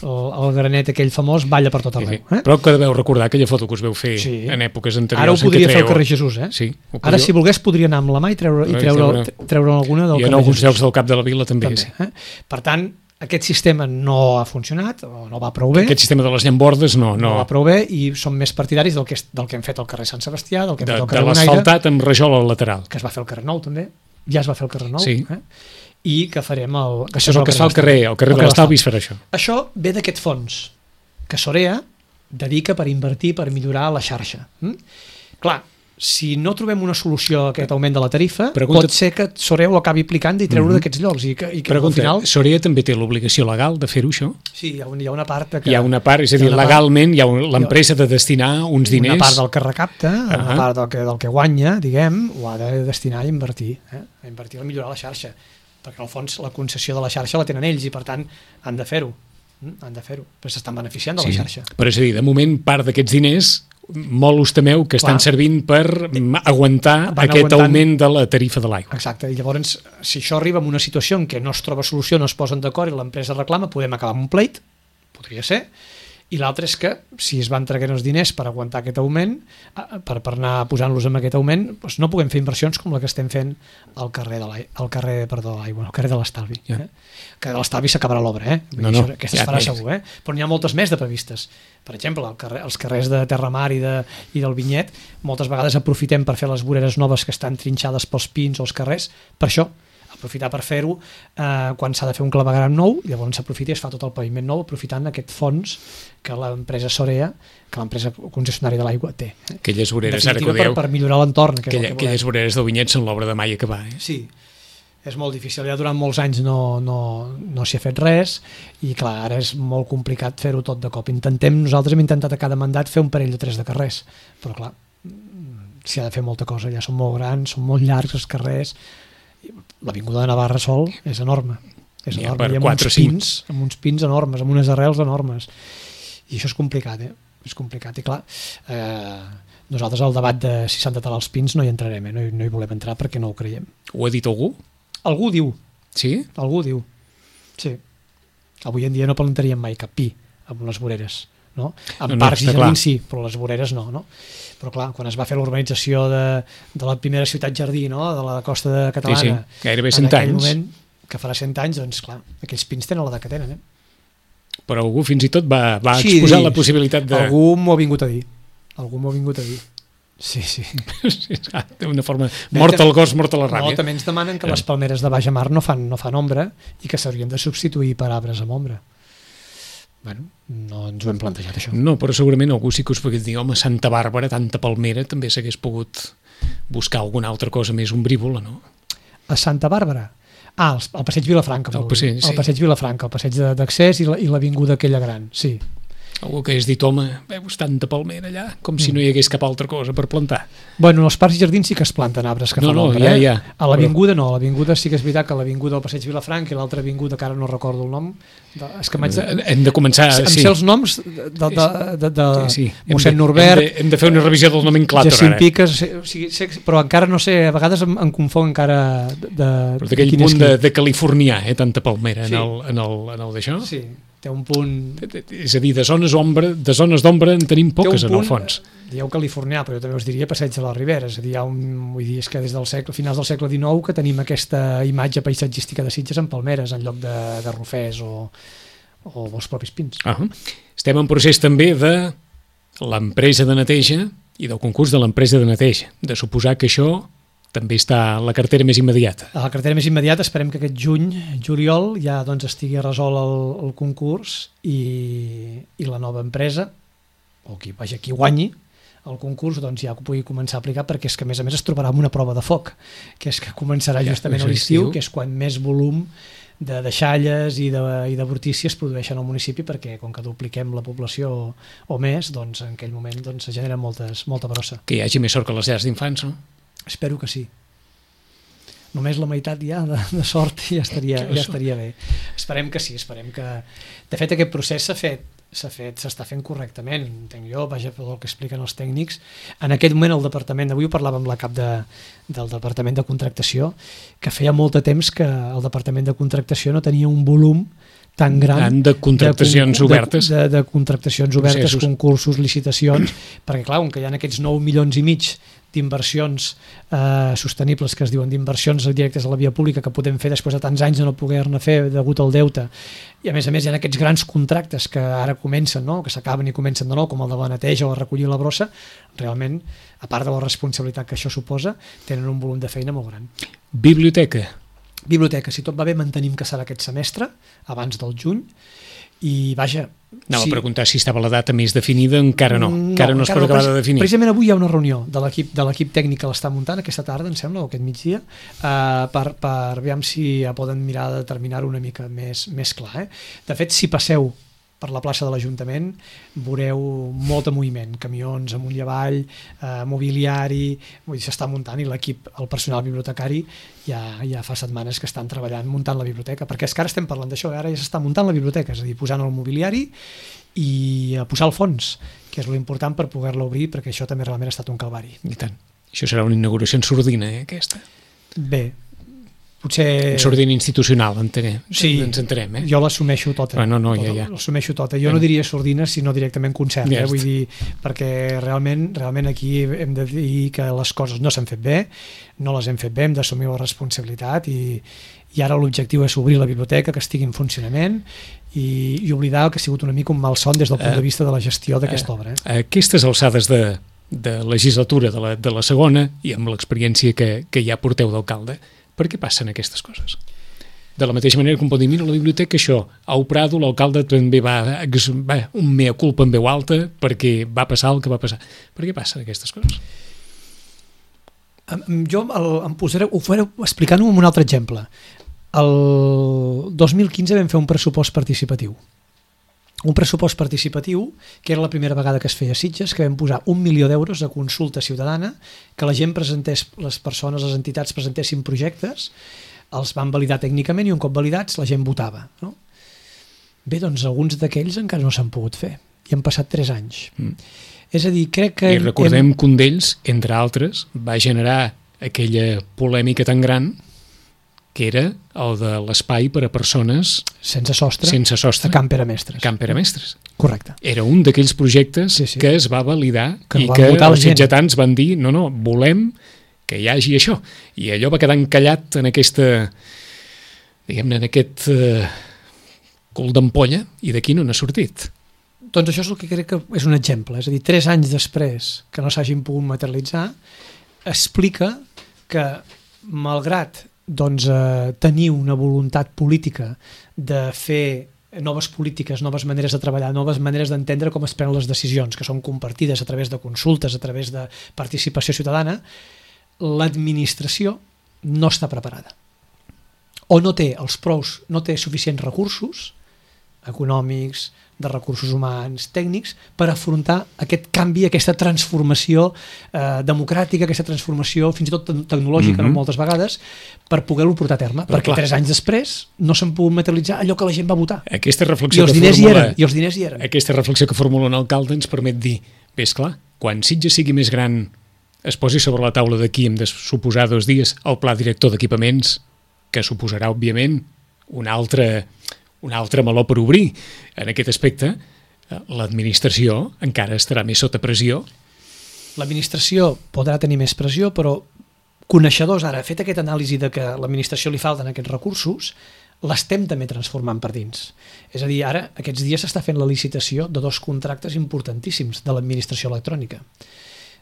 el granet aquell famós balla per tot arreu. Però que deveu recordar aquella foto que us veu fer en èpoques anteriors. Ara ho podria fer al carrer Jesús, Sí, ara, si volgués, podria anar amb la mà i treure alguna del carrer Jesús. I en alguns llocs del cap de la vila també. Per tant, aquest sistema no ha funcionat, o no va prou bé. Aquest sistema de les llambordes no va prou bé, i som més partidaris del que hem fet al carrer Sant Sebastià, del que hem fet al carrer Bonaire. De l'asfaltat amb rajol al lateral. Que es va fer al carrer Nou, també. Ja es va fer al carrer Nou. Sí. I que farem el... Això és el que es fa al carrer de l'Estalvi, és per això. Això ve d'aquest fons que Sorea dedica per invertir, per millorar la xarxa. Clar, si no trobem una solució a aquest augment de la tarifa, pot ser que Sorea ho acabi aplicant i treure d'aquests llocs. Al final... Sorea també té l'obligació legal de fer-ho, això? Sí, hi ha una part... Hi ha una part, és a dir, legalment l'empresa ha de destinar uns diners... Una part del que recapta, una part del que guanya, diguem, ho ha de destinar a invertir. A invertir a millorar la xarxa. Perquè, al fons, la concessió de la xarxa la tenen ells i, per tant, han de fer-ho. Però s'estan beneficiant de la xarxa. Però és a dir, de moment, part d'aquests diners... molt us temeu que estan servint per aguantar aquest augment de la tarifa de l'aigua. Exacte, i llavors, si això arriba en una situació en què no es troba solució, no es posen d'acord i l'empresa reclama, podem acabar amb un pleit, podria ser, i l'altre és que, si es van traient els diners per aguantar aquest augment, per anar posant-los amb aquest augment, doncs no puguem fer inversions com la que estem fent al carrer de l'Estalvi. El carrer de l'Estalvi s'acabarà l'obra, aquesta es farà segur, però n'hi ha moltes més de previstes. Per exemple, els carrers de Terramar i del Vinyet, moltes vegades aprofitem per fer les voreres noves que estan trinxades pels pins o els carrers, per això, aprofitar per fer-ho quan s'ha de fer un clavegueram nou, llavors s'aprofita i es fa tot el paviment nou aprofitant aquest fons que l'empresa Sorea, que l'empresa concessionària de l'aigua té. Aquelles voreres, ara que ho dieu, per millorar l'entorn. Aquelles voreres del Vinyet són l'obra de mai acabar. Sí, és molt difícil, ja durant molts anys no s'hi ha fet res i clar, ara és molt complicat fer-ho tot de cop. Nosaltres hem intentat a cada mandat fer un parell o 3 de carrers, però clar, s'hi ha de fer molta cosa, ja són molt grans, són molt llargs els carrers. L'avinguda de Navarra sol és enorme. És enorme. Hi ha amb uns pins enormes, amb unes arrels enormes. I això és complicat, És complicat. I clar, nosaltres al debat de si s'han de talar els pins no hi entrarem, no hi volem entrar perquè no ho creiem. Ho ha dit algú? Algú diu. Sí? Algú diu. Sí. Avui en dia no plantaríem mai cap pi amb les voreres. No? En parcs i jardins sí, però les voreres no. Però clar, quan es va fer l'urbanització de la primera ciutat jardí, de la costa catalana, gairebé 100 anys, moment, que farà 100 anys, doncs clar, aquells pins tenen l'edat que tenen. Però algú fins i tot va exposar la possibilitat de... Algú m'ho ha vingut a dir. Sí. D'una forma, mort al gos, mort a la ràbia. No, també ens demanen que les palmeres de baix mar no fan ombra i que s'haurien de substituir per arbres amb ombra. Bueno, no ens ho hem plantejat, això. No, però segurament algú sí que us pogués dir, home, Santa Bàrbara, tanta palmera, també s'hagués pogut buscar alguna altra cosa més ombrívola, no? A Santa Bàrbara? El passeig Vilafranca. El passeig Vilafranca, el passeig d'accés i l'avinguda aquella gran, sí. Algú que hagués dit, home, veus tanta palmera allà, com si no hi hagués cap altra cosa per plantar. Bueno, als parcs i jardins sí que es planten arbres que fan l'ombra, ja. A l'avinguda no, a l'avinguda sí que és veritat que a l'avinguda del Passeig Vilafranc i l'altra avinguda, que ara no recordo el nom, és que hem de començar... Em sé els noms de mossèn Norbert... Hem de fer una revisió del nomenclàtor, Jacint Piques, però encara no sé, a vegades em confon encara però d'aquell punt de californià, tanta palmera en el d'això? Sí, té un punt... És a dir, de zones d'ombra en tenim poques, en el fons. Dieu californià, però jo també us diria Passeig de la Ribera, és a dir, vull dir, és que des del finals del segle XIX que tenim aquesta imatge paisatgística de Sitges amb palmeres en lloc de rofers o els propis pins. Estem en procés també de l'empresa de neteja i del concurs de l'empresa de neteja, de suposar que això també està a la cartera més immediata. A la cartera més immediata esperem que aquest juliol, ja doncs estigui resolt el concurs i la nova empresa, o qui guanyi el concurs, doncs ja ho pugui començar a aplicar, perquè és que a més es trobarà amb una prova de foc, que és que començarà justament a l'estiu, que és quan més volum de deixalles i de brutícies es produeixen al municipi, perquè com que dupliquem la població o més, doncs en aquell moment se genera molta brossa. Que hi hagi més sort que les llars d'infants, no? Espero que sí. Només la meitat ja de sort ja estaria bé. Esperem que sí, esperem que... De fet, aquest procés s'està fent correctament, entenc jo, vaja, per el que expliquen els tècnics. En aquest moment el departament, avui ho parlàvem amb la cap del departament de contractació, que feia molt de temps que el departament de contractació no tenia un volum tan gran de contractacions obertes, de contractacions obertes, concursos, licitacions, perquè clar, que hi ha aquests 9,5 milions d'inversions sostenibles, que es diuen d'inversions directes a la via pública, que podem fer després de tants anys de no poder-ne fer degut al deute, i a més hi ha aquests grans contractes que ara comencen, no? Que s'acaben i comencen de nou, com el de la neteja o recollir la brossa, realment, a part de la responsabilitat que això suposa, tenen un volum de feina molt gran. Biblioteca, si tot va bé, mantenim que serà aquest semestre, abans del juny, i vaja... Anava a preguntar si estava la data més definida, encara no es pot acabar de definir. Precisament avui hi ha una reunió de l'equip tècnic que l'està muntant aquesta tarda, em sembla, o aquest migdia, per veure si poden mirar de determinar-ho una mica més clar. De fet, si passeu per la plaça de l'Ajuntament veureu molt de moviment, camions amunt i avall, mobiliari, s'està muntant, i l'equip, el personal bibliotecari ja fa setmanes que estan treballant muntant la biblioteca, perquè és que ara estem parlant d'això, ara ja s'està muntant la biblioteca, és a dir, posant el mobiliari i a posar el fons, que és l'important per poder-la obrir, perquè això també realment ha estat un calvari. I tant. Això serà una inauguració en sordina, aquesta? Bé, potser... Sordina institucional, sí, ens entenem, jo l'assumeixo tota. Ja. L'assumeixo tota. Jo no diria sordina, sinó directament concert, vull dir, perquè realment aquí hem de dir que les coses no s'han fet bé, no les hem fet bé, hem d'assumir la responsabilitat i ara l'objectiu és obrir la biblioteca, que estigui en funcionament i oblidar que ha sigut una mica un malson des del punt de vista de la gestió d'aquesta obra. Aquestes alçades de legislatura de la segona, i amb l'experiència que ja porteu d'alcalde, per què passen aquestes coses? De la mateixa manera que em pot dir, mira, la biblioteca això, au Prado, l'alcalde també va un mea culpa en veu alta perquè va passar el que va passar. Per què passen aquestes coses? Jo ho faré explicant-ho amb un altre exemple. El 2015 vam fer un pressupost participatiu. Un pressupost participatiu que era la primera vegada que es feia a Sitges, que vam posar 1 milió d'euros a consulta ciutadana, que la gent presentés, les persones, les entitats presentessin projectes, els van validar tècnicament i un cop validats la gent votava. No? Bé, doncs alguns d'aquells encara no s'han pogut fer i han passat 3 anys. És a dir, crec que... I recordem que un d'ells, entre altres, va generar aquella polèmica tan gran que era el de l'espai per a persones sense sostre a Camp Pere Mestres. Correcte. Era un d'aquells projectes que es va validar que i que els sitgetans van dir no, volem que hi hagi això. I allò va quedar encallat en aquesta, diguem-ne, en aquest cul d'ampolla, i d'aquí no n'ha sortit. Doncs això és el que crec que és un exemple. És a dir, 3 anys després que no s'hagin pogut materialitzar, explica que, malgrat tenir una voluntat política de fer noves polítiques, noves maneres de treballar, noves maneres d'entendre com es prenen les decisions, que són compartides a través de consultes, a través de participació ciutadana, l'administració no està preparada. O no té suficients recursos econòmics, de recursos humans, tècnics, per afrontar aquest canvi, aquesta transformació democràtica, aquesta transformació fins i tot tecnològica, moltes vegades, per poder-lo portar a terme, perquè 3 anys després no s'han pogut materialitzar allò que la gent va votar. Aquesta reflexió I els diners hi eren. Aquesta reflexió que formula un alcalde ens permet dir, bé, esclar, quan Sitges sigui més gran es posi sobre la taula d'aquí, hem de suposar 2 dies, el pla director d'equipaments, que suposarà, òbviament, un altre meló per obrir. En aquest aspecte, l'administració encara estarà més sota pressió. L'administració podrà tenir més pressió, però coneixedors ara, fet aquesta anàlisi de que a l'administració li falten aquests recursos, l'estem també transformant per dins. És a dir, ara, aquests dies s'està fent la licitació de 2 contractes importantíssims de l'administració electrònica,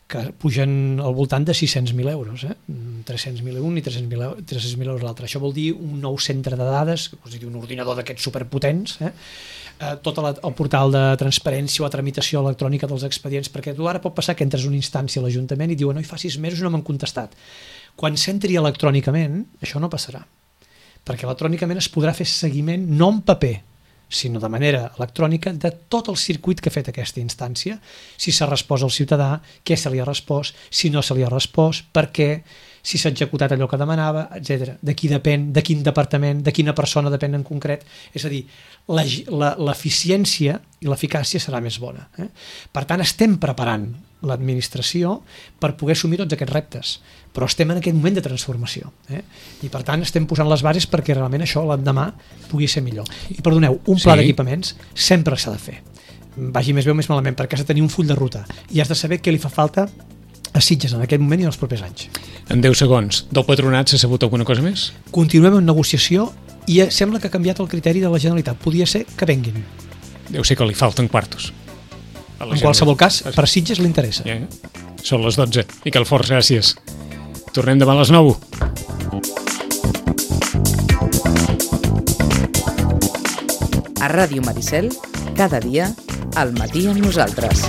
que pugen al voltant de 600.000 euros, 300.000 un i 300.000 euros l'altre. Això vol dir un nou centre de dades, un ordinador d'aquests superpotents, tot el portal de transparència o la tramitació electrònica dels expedients, perquè tu ara pot passar que entres a una instància a l'Ajuntament i diuen, no, fa 6 mesos no m'han contestat. Quan s'entri electrònicament, això no passarà, perquè electrònicament es podrà fer seguiment no en paper, sinó de manera electrònica, de tot el circuit que ha fet aquesta instància, si s'ha respost al ciutadà, què se li ha respost, si no se li ha respost, per què, si s'ha executat allò que demanava, etc. De qui depèn, de quin departament, de quina persona depèn en concret. És a dir, l'eficiència i l'eficàcia serà més bona. Per tant, estem preparant l'administració per poder assumir tots aquests reptes, però estem en aquest moment de transformació. I per tant estem posant les bases perquè realment això l'endemà pugui ser millor. I perdoneu, un pla d'equipaments sempre s'ha de fer. Vagi més bé o més malament, perquè has de tenir un full de ruta i has de saber què li fa falta a Sitges en aquest moment i en els propers anys. En 10 segons, del patronat s'ha sabut alguna cosa més? Continuem en negociació i sembla que ha canviat el criteri de la Generalitat. Podria ser que venguin. Deu ser que li falten quartos. En qualsevol cas, per Sitges li interessa. Són les 12. Miquel Forns, gràcies. Tornem demà a les 9. A Ràdio Maricel, cada dia, al matí amb nosaltres.